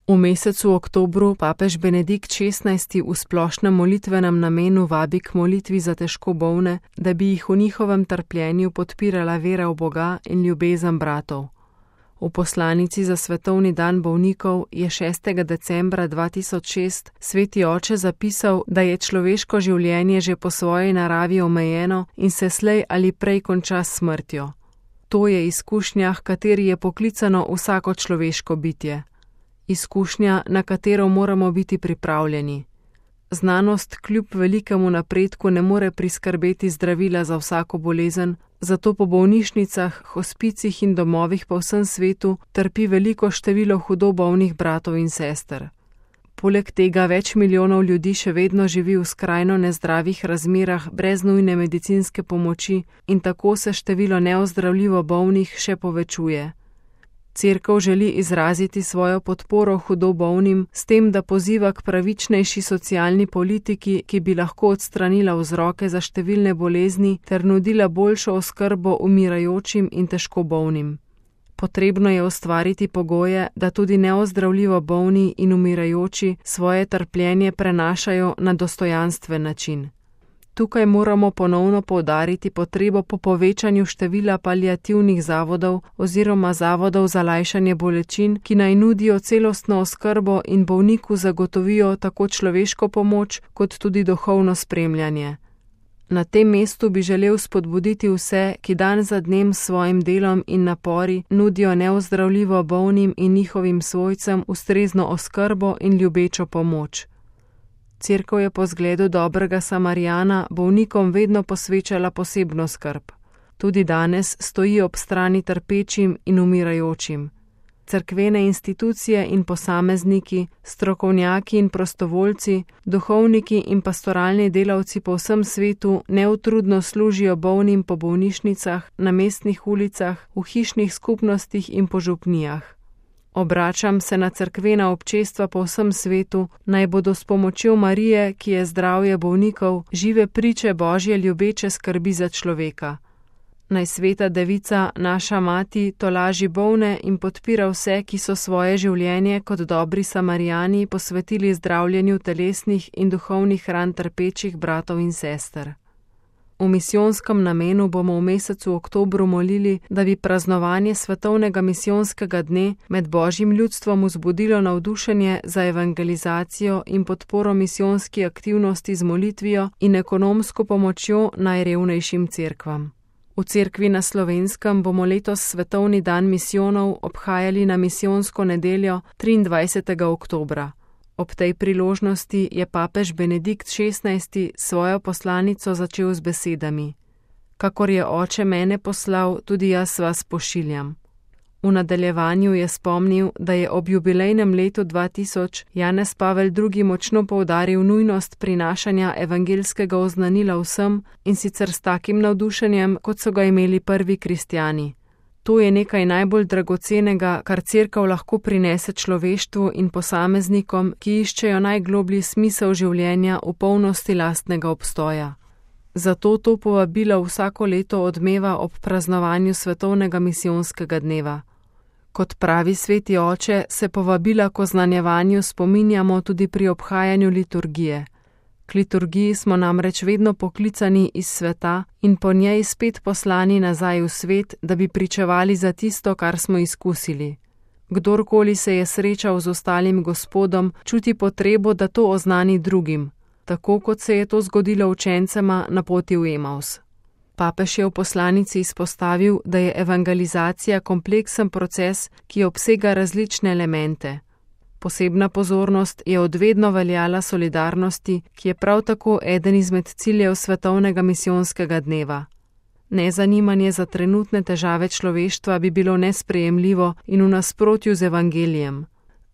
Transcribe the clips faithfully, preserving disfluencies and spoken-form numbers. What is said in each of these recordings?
V mesecu oktobru papež Benedikt šestnajsti v splošnem molitvenem namenu vabi k molitvi za težko bolne, da bi jih v njihovem trpljenju podpirala vera v Boga in ljubezen bratov. V poslanici za svetovni dan bolnikov je šestega decembra dva tisoč šest sveti oče zapisal, da je človeško življenje že po svoji naravi omejeno in se slej ali prej konča s smrtjo. To je izkušnja, h kateri je poklicano vsako človeško bitje. Izkušnja, na katero moramo biti pripravljeni. Znanost kljub velikemu napredku ne more priskrbeti zdravila za vsako bolezen, zato po bolnišnicah, hospicih in domovih po vsem svetu trpi veliko število hudo bolnih bratov in sester. Poleg tega več milijonov ljudi še vedno živi v skrajno nezdravih razmerah brez nujne medicinske pomoči in tako se število neozdravljivo bolnih še povečuje. Cerkev želi izraziti svojo podporo hudo bolnim s tem, da poziva k pravičnejši socialni politiki, ki bi lahko odstranila vzroke za številne bolezni ter nudila boljšo oskrbo umirajočim in težko bolnim. Potrebno je ustvariti pogoje, da tudi neozdravljivo bolni in umirajoči svoje trpljenje prenašajo na dostojanstven način. Tukaj moramo ponovno poudariti potrebo po povečanju števila paliativnih zavodov oziroma zavodov za lajšanje bolečin, ki naj nudijo celostno oskrbo in bolniku zagotovijo tako človeško pomoč kot tudi duhovno spremljanje. Na tem mestu bi želel spodbuditi vse, ki dan za dnem s svojim delom in napori nudijo neozdravljivo bolnim in njihovim svojcem ustrezno oskrbo in ljubečo pomoč. Cerkev je po zgledu dobrega Samarijana bolnikom vedno posvečala posebno skrb. Tudi danes stoji ob strani trpečim in umirajočim. Cerkvene institucije in posamezniki, strokovnjaki in prostovoljci, duhovniki in pastoralni delavci po vsem svetu neutrudno služijo bolnim po bolnišnicah, na mestnih ulicah, v hišnih skupnostih in po župnijah. Obračam se na cerkvena občestva po vsem svetu, naj bodo s pomočjo Marije, ki je zdravje bolnikov, žive priče Božje ljubeče skrbi za človeka. Naj sveta devica, naša mati, tolaži bolne in podpira vse, ki so svoje življenje kot dobri Samarijani posvetili zdravljenju telesnih in duhovnih ran trpečih bratov in sester. V misijonskem namenu bomo v mesecu oktobru molili, da bi praznovanje svetovnega misijonskega dne med Božjim ljudstvom vzbudilo navdušenje za evangelizacijo in podporo misijonski aktivnosti z molitvijo in ekonomsko pomočjo najrevnejšim cerkvam. V cerkvi na Slovenskem bomo letos svetovni dan misijonov obhajali na misijonsko nedeljo triindvajsetega oktobra. Ob tej priložnosti je papež Benedikt šestnajsti svojo poslanico začel z besedami: Kakor je Oče mene poslal, tudi jaz vas pošiljam. V nadaljevanju je spomnil, da je ob jubilejnem letu dva tisoč Janez Pavel drugi močno poudaril nujnost prinašanja evangelskega oznanila vsem in sicer s takim navdušenjem, kot so ga imeli prvi kristjani. To je nekaj najbolj dragocenega, kar cerkev lahko prinese človeštvu in posameznikom, ki iščejo najgloblji smisel življenja v polnosti lastnega obstoja. Zato to povabilo vsako leto odmeva ob praznovanju svetovnega misijonskega dneva. Kot pravi sveti oče, se povabila k oznanjevanju spominjamo tudi pri obhajanju liturgije. K liturgiji smo namreč vedno poklicani iz sveta in po njej spet poslani nazaj v svet, da bi pričevali za tisto, kar smo izkusili. Kdorkoli se je srečal z ostalim Gospodom, čuti potrebo, da to oznani drugim, tako kot se je to zgodilo učencema na poti v Emaus. Papež je v poslanici izpostavil, da je evangelizacija kompleksen proces, ki obsega različne elemente. Posebna pozornost je odvedno veljala solidarnosti, ki je prav tako eden izmed ciljev svetovnega misijonskega dneva. Nezanimanje za trenutne težave človeštva bi bilo nesprejemljivo in v nasprotju z evangelijem.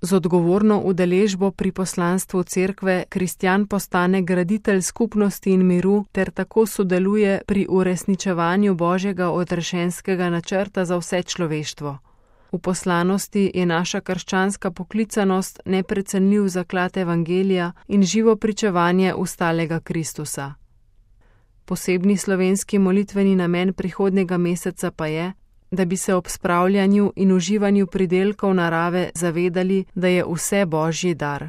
Z odgovorno udeležbo pri poslanstvu cerkve kristjan postane graditelj skupnosti in miru ter tako sodeluje pri uresničevanju Božjega odrešenskega načrta za vse človeštvo. V poslanosti je naša krščanska poklicanost neprecenljiv zaklad evangelija in živo pričevanje ustalega Kristusa. Posebni slovenski molitveni namen prihodnjega meseca pa je: da bi se ob spravljanju in uživanju pridelkov narave zavedali, da je vse božji dar.